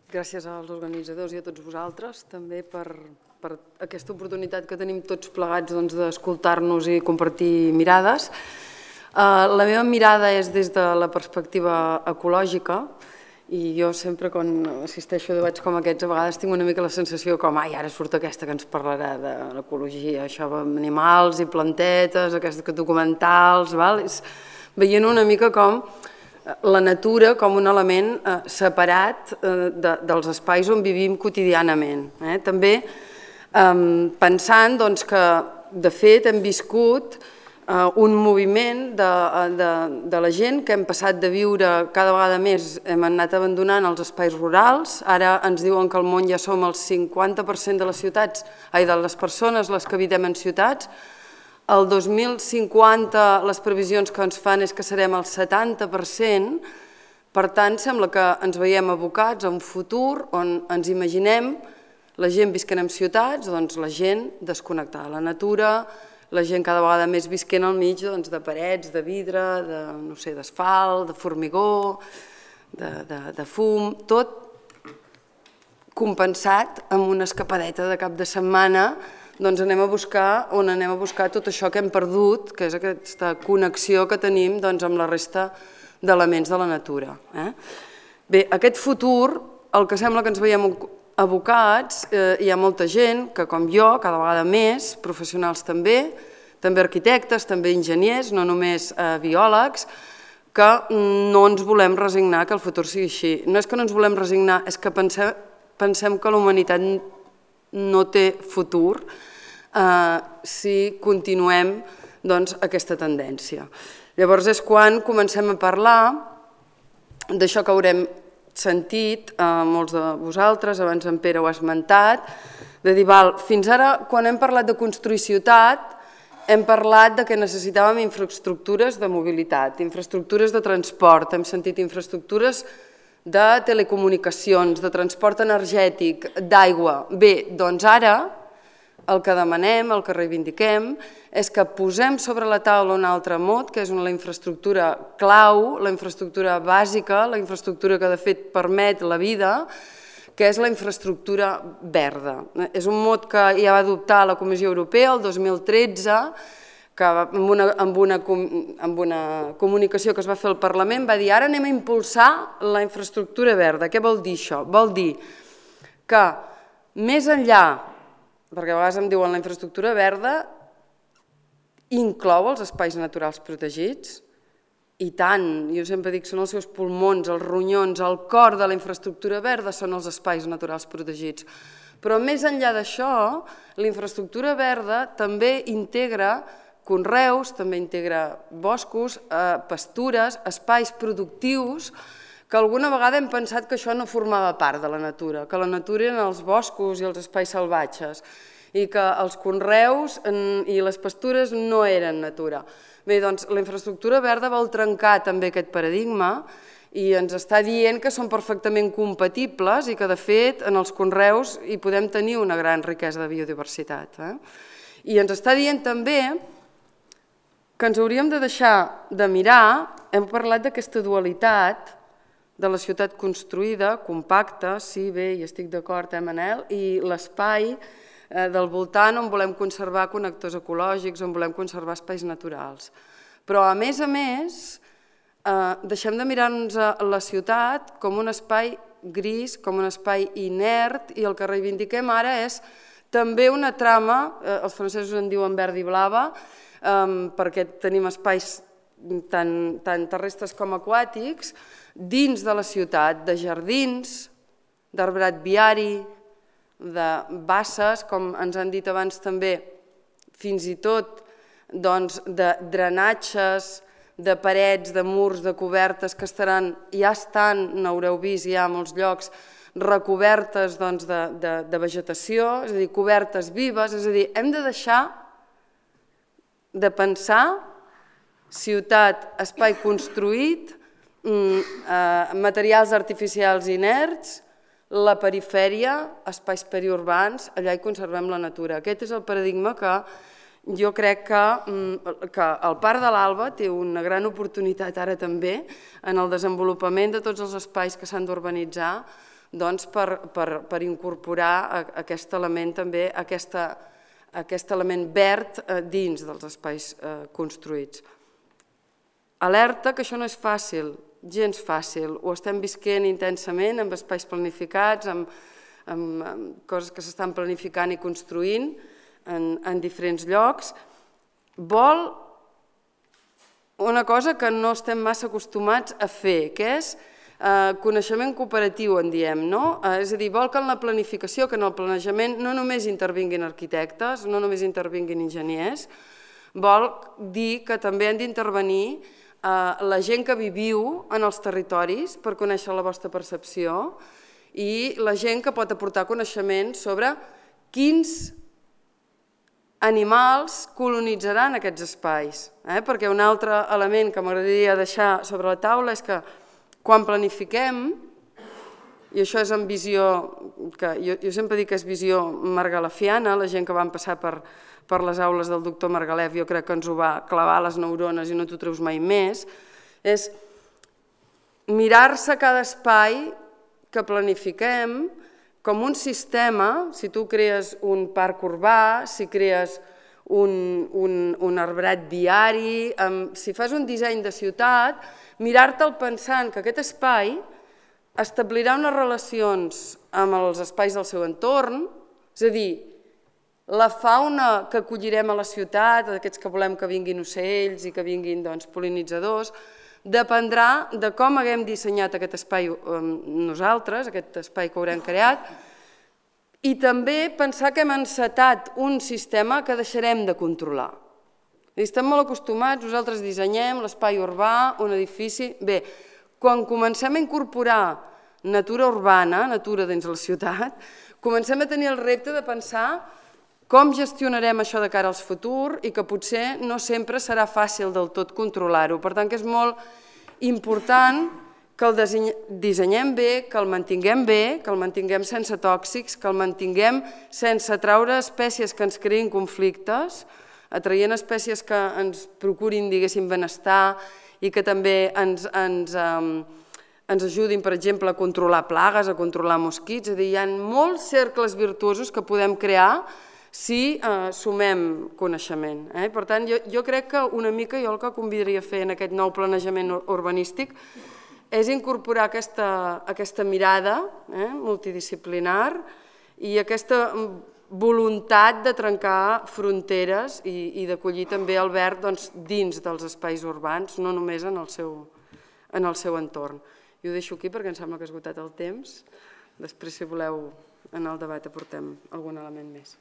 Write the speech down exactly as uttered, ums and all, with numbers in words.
Gràcies als organitzadors i a tots vosaltres també per, per aquesta oportunitat que tenim tots plegats doncs, d'escoltar-nos i compartir mirades. Uh, la meva mirada és des de la perspectiva ecològica i jo sempre quan assisteixo a debats com aquests a vegades tinc una mica la sensació com ai, ara surt aquesta que ens parlarà de l'ecologia, això d'animals i plantetes, aquests documentals, val? És veient una mica com la natura com un element eh, separat eh, de, dels espais on vivim quotidianament. Eh? També eh, pensant doncs, que de fet hem viscut eh, un moviment de, de, de la gent que hem passat de viure cada vegada més, hem anat abandonant els espais rurals, ara ens diuen que al món ja som el cinquanta per cent de les ciutats, ai, de les persones les que habitem en ciutats. El dos mil cinquanta les previsions que ens fan és que serem el setanta per cent, per tant sembla que ens veiem abocats a un futur on ens imaginem la gent visquent en ciutats, doncs la gent desconnectada de la natura, la gent cada vegada més visquent al mig doncs, de parets, de vidre, de, no sé, d'asfalt, de formigó, de, de, de fum, tot compensat amb una escapadeta de cap de setmana. Doncs anem a buscar on anem a buscar tot això que hem perdut, que és aquesta connexió que tenim doncs, amb la resta d'elements de la natura. Eh? Bé, aquest futur, el que sembla que ens veiem abocats, eh, hi ha molta gent que, com jo, cada vegada més, professionals també, també arquitectes, també enginyers, no només eh, biòlegs, que no ens volem resignar que el futur sigui així. No és que no ens volem resignar, és que pensem, pensem que la humanitat no té futur eh, si continuem doncs, aquesta tendència. Llavors és quan comencem a parlar d'això que haurem sentit eh, molts de vosaltres, abans en Pere ho ha esmentat, de dir, val, fins ara quan hem parlat de construir ciutat hem parlat de que necessitàvem infraestructures de mobilitat, infraestructures de transport, hem sentit infraestructures de telecomunicacions, de transport energètic, d'aigua. Bé, doncs ara el que demanem, el que reivindiquem, és que posem sobre la taula un altre mot, que és la infraestructura clau, la infraestructura bàsica, la infraestructura que de fet permet la vida, que és la infraestructura verda. És un mot que ja va adoptar la Comissió Europea el dos mil tretze, que amb una, amb, una, amb una comunicació que es va fer al Parlament va dir ara anem a impulsar la infraestructura verda. Què vol dir això? Vol dir que més enllà, perquè a vegades em diuen la infraestructura verda, inclou els espais naturals protegits, i tant, jo sempre dic, són els seus pulmons, els ronyons, el cor de la infraestructura verda són els espais naturals protegits. Però més enllà d'això, la infraestructura verda també integra conreus, també integra boscos, pastures, espais productius, que alguna vegada hem pensat que això no formava part de la natura, que la natura eren els boscos i els espais salvatges i que els conreus i les pastures no eren natura. Bé, doncs la infraestructura verda vol trencar també aquest paradigma i ens està dient que són perfectament compatibles i que de fet en els conreus hi podem tenir una gran riquesa de biodiversitat. I ens està dient també que ens hauríem de deixar de mirar, hem parlat d'aquesta dualitat de la ciutat construïda, compacta, sí, bé, hi estic d'acord, eh, Manel, i l'espai del voltant on volem conservar connectors ecològics, on volem conservar espais naturals. Però, a més a més, deixem de mirar-nos la ciutat com un espai gris, com un espai inert, i el que reivindiquem ara és també una trama, els francesos en diuen verd i blava, perquè tenim espais tant terrestres com aquàtics, dins de la ciutat, de jardins, d'arbrat viari, de basses, com ens han dit abans també, fins i tot de drenatges, de parets, de murs, de cobertes que estaran, ja estan, n'haureu vist ja a molts llocs, recobertes de vegetació, és a dir, cobertes vives, és a dir, hem de deixar de pensar ciutat, espai construït, materials artificials inerts, la perifèria, espais periurbans, allà hi conservem la natura. Aquest és el paradigma que jo crec que el Parc de l'Alba té una gran oportunitat ara també en el desenvolupament de tots els espais que s'han d'urbanitzar per incorporar aquest element també, aquest element verd dins dels espais construïts. Alerta que això no és fàcil, gens fàcil, ho estem visquent intensament amb espais planificats, amb coses que s'estan planificant i construint en diferents llocs. Vol una cosa que no estem massa acostumats a fer, que és coneixement cooperatiu, en diem, no? És a dir, vol que en la planificació, que en el planejament no només intervinguin arquitectes, no només intervinguin enginyers, vol dir que també han d'intervenir la gent que viviu en els territoris per conèixer la vostra percepció i la gent que pot aportar coneixement sobre quins animals colonitzaran aquests espais. Perquè un altre element que m'agradaria deixar sobre la taula és que quan planifiquem, i això és en visió, que jo sempre dic que és visió margalefiana, la gent que van passar per les aules del doctor Margalef jo crec que ens ho va clavar a les neurones i no t'ho treus mai més, és mirar-se cada espai que planifiquem com un sistema. Si tu crees un parc urbà, si crees un arbrat viari, si fas un disseny de ciutat, mirar-te'l pensant que aquest espai establirà unes relacions amb els espais del seu entorn, és a dir, la fauna que acollirem a la ciutat, aquests que volem que vinguin ocells i que vinguin pol·linitzadors, dependrà de com haguem dissenyat aquest espai nosaltres, aquest espai que haurem creat, i també pensar que hem encetat un sistema que deixarem de controlar. Estem molt acostumats, nosaltres dissenyem l'espai urbà, un edifici... Bé, quan comencem a incorporar natura urbana, natura dins la ciutat, comencem a tenir el repte de pensar com gestionarem això de cara al futur i que potser no sempre serà fàcil del tot controlar-ho. Per tant, que és molt important que el dissenyem bé, que el mantinguem bé, que el mantinguem sense tòxics, que el mantinguem sense atraure espècies que ens creïn conflictes, atraient espècies que ens procurin, diguéssim, benestar i que també ens ajudin, per exemple, a controlar plagues, a controlar mosquits. És a dir, hi ha molts cercles virtuosos que podem crear si sumem coneixement. Per tant, jo crec que una mica jo el que convidaria a fer en aquest nou planejament urbanístic és incorporar aquesta mirada multidisciplinar i aquesta voluntat de trencar fronteres i d'acollir també el verd dins dels espais urbans, no només en el seu entorn. I ho deixo aquí perquè em sembla que ha esgotat el temps. Després, si voleu, en el debat aportem algun element més.